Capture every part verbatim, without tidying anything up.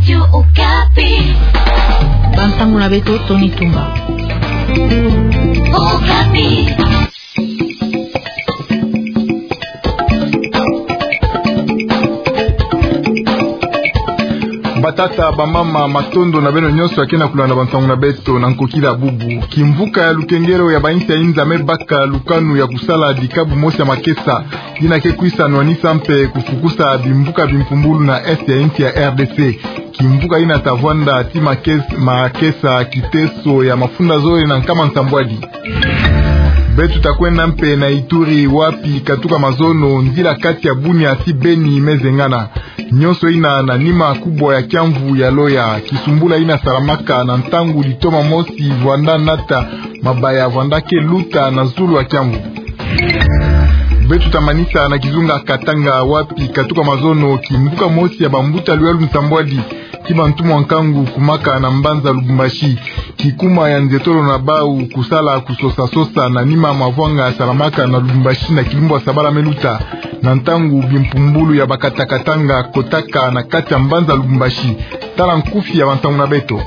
Okapi. Bantangu na beto, Tony Tumba. Okapi. Batata, bamama, matondo na beno nyonso ya ke na kulanda bantangu na beto na nkokila bubu. Kimvuka ya lukengelo ya bainsi ya inza me baka lukanu ya kusala dikabu mosi ya makesa, yina ke kwisa nwanisa mpe kufukusa bimvuka bimpumbulu na est ya insi ya R D C. Kimvuka yina ta vwanda ti makes-, makesa kiteso ya mafunda zole na nkama nsambwadi. Beto ta kwenda mpe na Ituri, wapi katuka mazono nzila kati ya Bunia ti Beni me zengana. Nyonso yina na nima kubwa ya kiamvu ya loya, kisumbula yina salamaka na ntangu litoma mosi vwanda nata mabaya vwanda ke luta na zulu ya kiamvu. Beto ta manisa na kizunga Katanga, wapi katuka mazono kimvuka mosi ya bambuta luyalu nsambwadi ti bantumwa nkangu kumaka na mbanza Lubumbashi. Kikuma ya nzetolo na bau kusala kusosa-sosa na nima mavwanga salamaka na Lubumbashi na kilumbu ya sabala me luta, na ntangu bimpumbulu ya bakata-katanga kotaka na kati ya mbanza Lubumbashi. Tala nkufi ya bantangu na beto.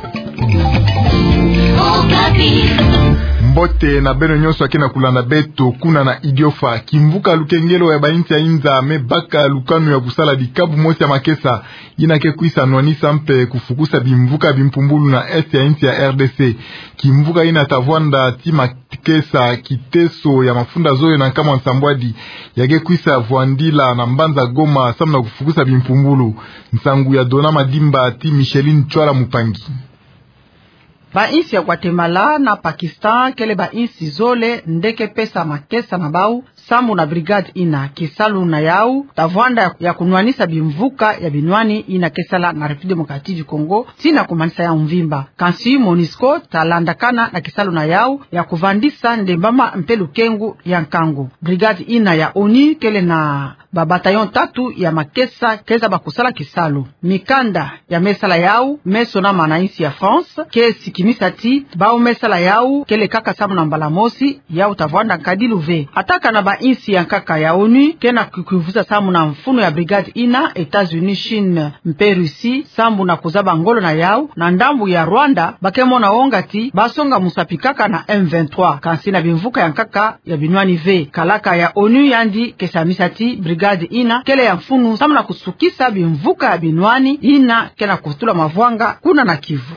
Mbote na beno nyonso ya ke na kulanda beto kuna na Idiofa. Kimvuka lukengelo ya bainsi ya inza me baka lukanu ya kusala dikabu mosi ya makesa, yina ke kwisa nwanisa mpe kufukusa bimvuka bimpumbulu na est ya insi ya R D C. Kimvuka yina ta vwanda ti makesa kiteso ya mafunda zole na nkama nsambwadi, ya ke kwisa vwandila na mbanza Goma samu na kufukusa bimpumbulu. Nsangu ya Dona Madimba ti Micheline Chwala Mupangi. Bainsi ya Guatemala na Pakistan kele bainsi zole nde ke pesa makesa na bau sambu na brigade yina. Kisalu na yau ta vwanda ya kunwanisa bimvuka ya binwani yina ke sala na République Démocratique du Congo, tii na kumanisa yau mvimba. Kansi MONUSCO ta landakana na kisalu na yau ya kuvandisa ndembama mpe lukengu ya nkangu. Brigade yina ya ONU kele na ba bataillon tatu ya makesa ke zaba kusala kisalu. Mikanda ya me sala yau me sonama na insi ya France ke sikinisa ti bau me sala yau kele kaka sambu na mbala mosi, yau ta vwanda nkadilu ve. Atakana bainsi ya nkaka ya ONU ke na kukwivuza sambu na mfunu ya brigade yina, États-Unis, Chine mpe Russie, sambu na kuzaba ngolo na yau na ndambu ya Rwanda, ba ke mona wonga ti ba songa musapi kaka na M vingt-trois, kansi na bimvuka ya nkaka ya binwani ve. Kalaka ya ONU yandi ke samisa ti brigade yina kele ya mfunu sambu na kusukisa bimvuka ya binwani yina ke na kutula mavwanga kuna na Kivu.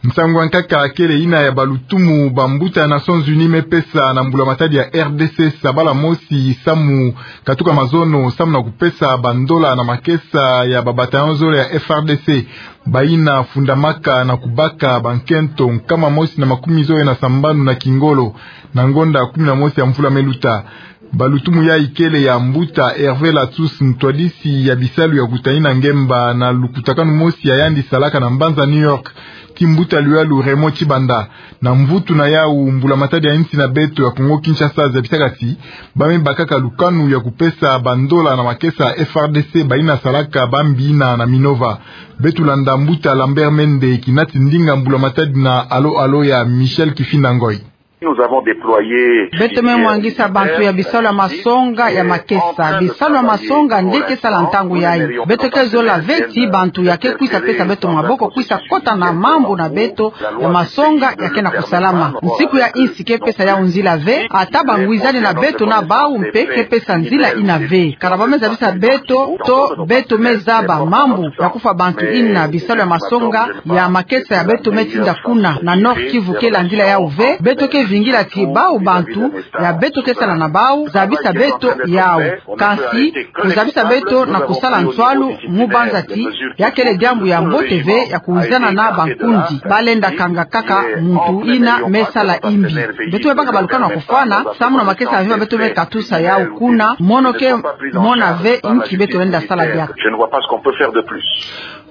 Nsangu ya nkaka kele yina ya balutumu bambuta ya Nations Unies me pesa na mbula matadi ya R D C sabala mosi samu katuka mazono samu na kupesa bandola na makesa ya ba bataillon zole ya F R D C. Bayina fundamaka na kubaka bankento nkama mosi na makumi zole na sambanu na kingolo, na ngonda kumi na mosi ya mvula me luta. Balutumu yai kele ya mbuta Hervé Latsous, ntwadisi ya bisalu ya kutayina ngemba na lukutakanu mosi ya yandi salaka na mbanza New York, ti mbuta luyalu Raymond Tshibanda. Na mvutu na yau, mbula matadi ya insi na beto ya Congo Kinshasa zabisaka ti ba me bakaka lukanu ya kupesa bandola na makesa F R D C bayina salaka bambi yina na Minova. Beto landa mbuta Lambert Mende, kinati ndinga mbula matadi na Alo Alo ya Michel Kifinda Ngoy. Nous avons déployé... Beto me mwangisa bantu ya bisalu ya masonga ya makesa. Bisalu ya masonga nde ke sala ntangu yai. Beto ke zola ve ti bantu ya ke kwisa pesa beto maboko kwisa kota na mambu na beto ya masonga ya ke na kusalama. Nsiku ya insi ke pesa yau nzila ve, ata bangwizani na beto na bau mpe ke pesa nzila yina ve. Kana ba me zabisa beto, to beto me zaba mambu ya kufwa bantu yina bisalu ya masonga ya makesa ya beto me tinda kuna na Nord-Kivu ke landila yau ve. Beto ke vingila ti bau bantu ya beto ke sala na bau zabisa beto yau. Kansi kuzabisa beto na kusala nswalu mu banza ti ya kele diambu ya mbote ve ya kuwizana na bankundi. Ba lenda kanga kaka muntu yina me sala imbi. Beto me baka balukanu ya kufwana samu na makesa ya mvimba beto me katusa yau kuna, mono ke mona ve inki beto lenda sala diaka. Je ne vois pas ce qu'on peut faire de plus.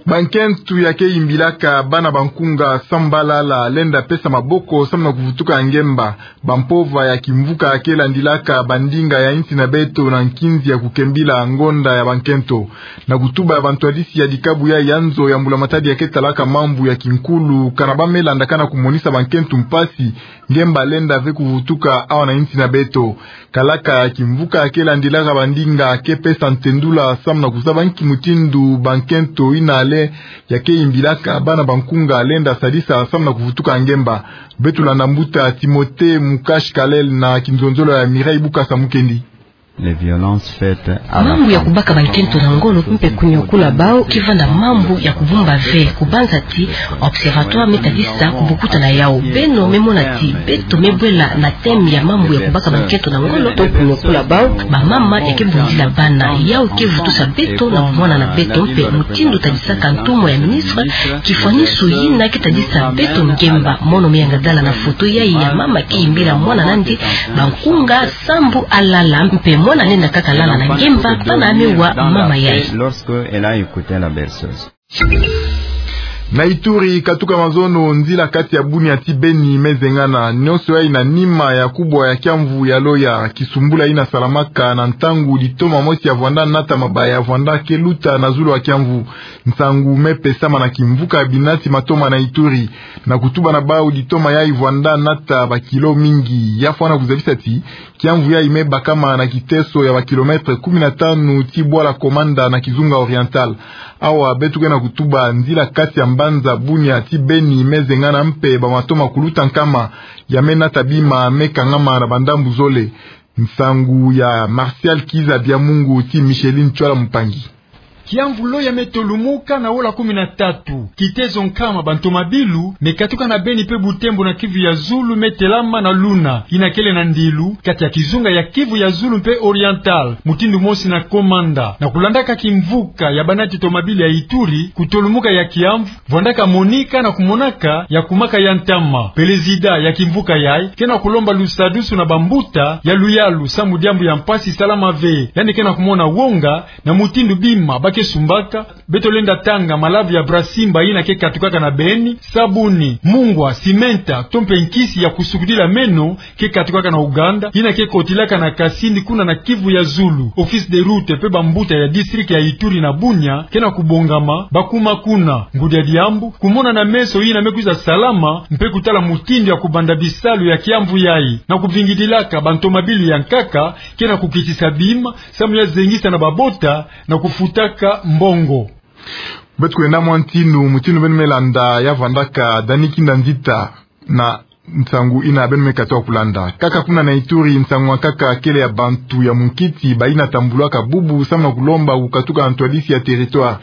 Bankento ya ke yimbilaka bana bankunga sambalala lenda pesa maboko samu na kuvutuka ngemba. Bampova ya kimvuka ke landilaka bandinga ya insi na beto na nkinzi ya kukembila ngonda ya bankento. Na kutuba ya bantwadisi ya dikabu yai ya nzo ya mbula matadi ya ke talaka mambu ya kinkulu, kana ba me landakana kumonisa bankento mpasi ngemba lenda ve kuvutuka awa na insi na beto. Kalaka ya kimvuka ke landilaka bandinga ke pesa ntendula samu na kuzaba nki mutindu bankento yina ya ke yimbilaka bana bankunga lenda sadisa samu na kuvutuka ngemba. Beto landa mbuta Timothée Mukash Kalel na kinzonzolo ya Mireille Bukasa Mukendi. Les violences faites à la femme. Mambu ya kubaka bankento na ngolo mpe kunyokula bau ke vanda mambu ya kubumba ve, kubanza ti Observatoire me tadisa kubukuta na yau. Beno me mona ti beto me bwela na thème ya mambu ya kubaka bankento na ngolo to kunyokula bau, bamama ya ke bundila bana. Yau ke vutusa beto na kumwana na beto mpe mutindu tadisaka ntumwa ya ministre, kifwanisu yina ke tadisa beto ngemba. Mono me yangadala na foto yayi ya mama ke yimbila mwana nandi bankunga sambu alala, mpe mwana lenda kaka lala na ngemba, pana me wa mama yayi. Lorsque elle a écouté la berceuse. Na Ituri, katuka mazono, nzila kati ya Bunia ti Beni me zengana, nionso yayi na nima ya kubwa ya kiamvu ya Loya, kisumbula yina salamaka na ntangu litoma mosi ya vwanda nata mabaya ya vwanda ke luta na zulu ya kiamvu. Nsangu me pesama na kimvuka binati matoma na Ituri, na kutuba na bau litoma yayi vwanda nata bakilo mingi. Ya fwana kuzabisa ti kiamvu yayi me bakama na kiteso ya bakilomètre kumi na tanu ti bwala Komanda na Kizunga Oriental. Awa beto ke na kutuba, nzila kati ya mbanza Bunia ti Beni me zengana mpe bamatoma kuluta nkama ya me nata bima me kangama na bandambu zole. Nsangu ya Martial Kiza Biamungu ti Micheline Tchwala Mupangi. Kiamvu Loya me tolumuka na ola kumi na tatu. Kitezo nkama bantomabilu me katuka na Beni mpe Butembo na Kivu ya Zulu me telama na luna yina kele na ndilu kati ya kizunga ya Kivu ya Zulu mpe Oriental, mutindu mosi na Komanda. Na kulandaka kimvuka ya banati tomabilu ya Ituri, kutolumuka ya kiamvu vwandaka monika na kumonaka ya kumaka ya ntama. Prezida ya kimvuka yayi ke na kulomba lusadusu na bambuta ya luyalu samu diambu ya mpasi salama ve. Yandi ke na kumona wonga na mutindu bima ba ke sumbaka. Beto lenda tanga malavu ya Brasimba yina ke katukaka na Beni, sabuni, mungwa, simenta, to mpe nkisi ya kusukudila meno ke katukaka na Uganda, yina ke kotilaka na Kasindi kuna na Kivu ya Zulu. Office de route mpe bambuta ya district ya Ituri na Bunia ke na kubongama ba kuma kuna. Ngudi ya diambu, kumona na meso yina me kwiza salama mpe kutala mutindu ya kubanda bisalu ya kiamvu yayi, na kuvingidilaka bantomabilu ya nkaka ke na kukitisa bima samu ya zengisa na babota na kufutaka mbongo. Beto kwenda mwa ntinu, mutindu beno me landa ya vwandaka, Dani Kinda Nzita na nsangu yina beno me katuka kulanda. Kaka kuna na Ituri, nsangu ya nkaka kele ya bantu ya munkiti bayina tambulaka bubu samu na kulomba kukatuka na ntwadisi ya territoire.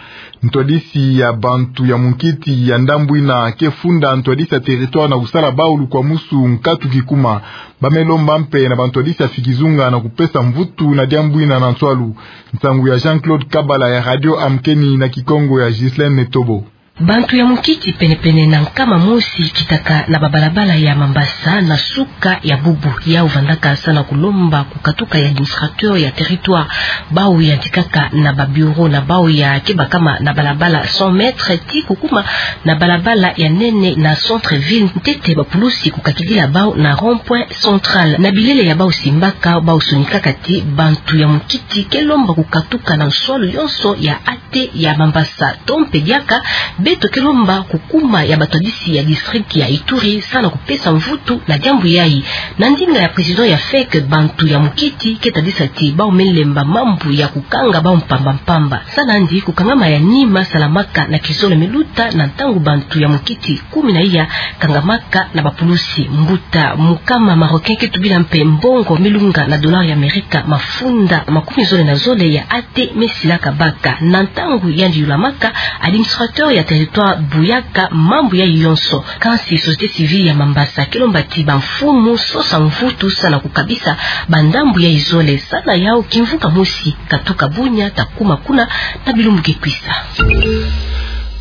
Ntwadisi ya bantu ya munkiti ya ndambu yina ke funda ntwadisi ya territoire na kusala bau lukwamusu nkatu kikuma. Ba me lomba mpe na bantwadisi ya fikizunga na kupesa mvutu na diambu yina na nswalu. Nsangu ya Jean-Claude Kabala ya Radio Amkeni na Kikongo ya Ghislaine Netobo. Bantu ya munkiti pene-pene na nkama mosi kitaka na babalabala ya Mambasa na suka ya bubu. Yau vandaka samu na kulomba kukatuka ya administrateur ya territoire. Bau yantikaka na ba bureau na bau ya ke bakama na balabala cent mètres ti kukuma na balabala ya nene na centre-ville, ntete bapulusi kukakidila bau na rond-point central. Na bilele ya bau simbaka, bau sonikaka ti bantu ya munkiti ke lomba kukatuka na nswalu yonso ya ate ya Mambasa. To mpe diaka, beto ke lomba kukuma ya batwadisi ya district ya Ituri samu na kupesa mvutu na diambu yayi. Na ndinga ya président ya feke, bantu ya munkiti ke tadisa ti bau me lemba mambu ya kukanga bau mpamba-mpamba. Samu nandi kukangama ya nima salamaka na kizole me luta na ntangu bantu ya munkiti kumi na iya kangamaka na bapulusi. Mbuta mukama Marocain ke tubila mpe mbongo me lunga na dollar ya Amerika mafunda makumi zole na zole ya ate me silaka baka. Na ntangu yandi yulamaka, administrateur ya territoire buyaka mambu yayi yonso. Kansi société civile ya Mambasa ke lomba ti bamfumu sosa mvutu samu na kukabisa bandambu yayi zole. Samu na yau, kimvuka mosi katuka Bunia ta kuma kuna na bilumbu ke kwisa.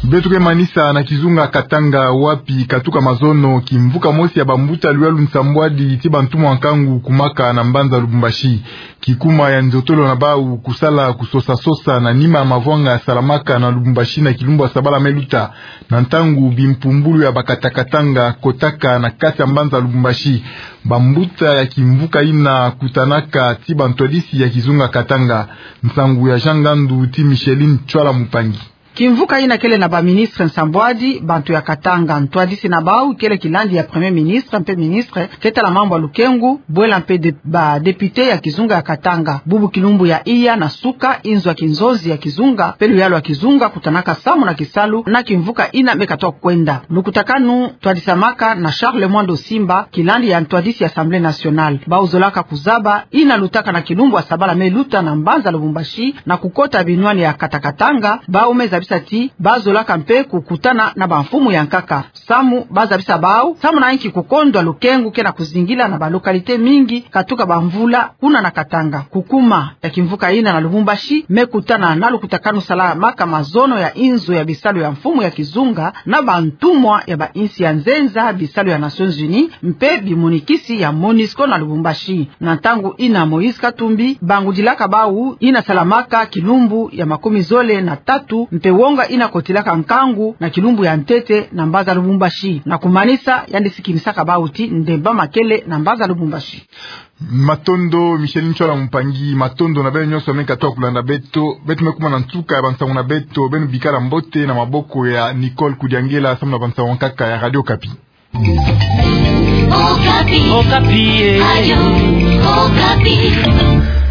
Beto ke manisa na kizunga Katanga, wapi katuka mazono kimvuka mosi ya bambuta luyalu nsambwadi ti bantumwa nkangu kumaka na mbanza Lubumbashi. Kikuma ya nzotolo na bau kusala kusosa-sosa na nima ya mavwanga salamaka na Lubumbashi na kilumbu ya sabala me luta, na ntangu bimpumbulu ya bakata Katanga kotaka na kati ya mbanza Lubumbashi. Bambuta ya kimvuka yina kutanaka ti bantwadisi ya kizunga Katanga. Nsangu ya Jean Ngandu ti Micheline Tchwala Mupangi. Kimvuka ina kele na baministre nsambwadi, bantu ya Katanga. Ntwadisi na bau kele kilandi ya Premier Ministre mpe ministre ke tala mambu ya lukengu, bwela mpe de-, badepute ya kizunga ya Katanga. Bubu kilumbu ya iya na suka, inzo ya kinzonzi ya kizunga mpe luyalu ya kizunga kutanaka samu na kisalu na kimvuka ina me katoka kwenda. Lukutakanu twadisamaka na Charles Mwando Simba, kilandi ya ntwadisi ya Assemblée nationale. Bau zolaka kuzaba ina lutaka na kilumbu ya sabala me luta na mbanza Lubumbashi na kukota binwani ya kata Katanga, bau me zabisa ti ba zolaka mpe kukutana na bamfumu ya nkaka. Samu ba zabisa bau, samu na inki kukondwa lukengu ke na kuzingila na balocalité mingi katuka bamvula kuna na Katanga. Kukuma ya kimvuka ina na Lubumbashi me kutana na lukutakanu salamaka mazono ya inzo ya bisalu ya mfumu ya kizunga na bantumwa ya bainsi ya nzenza, bisalu ya Nations Unies mpe bimonikisi ya MONUSCO na Lubumbashi. Na ntangu ina Moïse Katumbi bangudilaka bau ina salamaka kilumbu ya makumi zole na tatu mpe wonga ina kotilaka nkangu na kilumbu ya ntete na mbanza Lubumbashi. Na kumanisa, yandi sikinisaka bau ti ndemba makele na mbanza Lubumbashi. Matondo, Michel Nchola mpangi, matondo na beno nyonso me katoka kulanda beto. Beto me kuma na nsuka ya bansangu na beto, beno bikala mbote na maboko ya Nicole Kudiangela, samu na bansangu ya nkaka ya Radio Okapi. Okapi. Okapi, eh. Radio Okapi.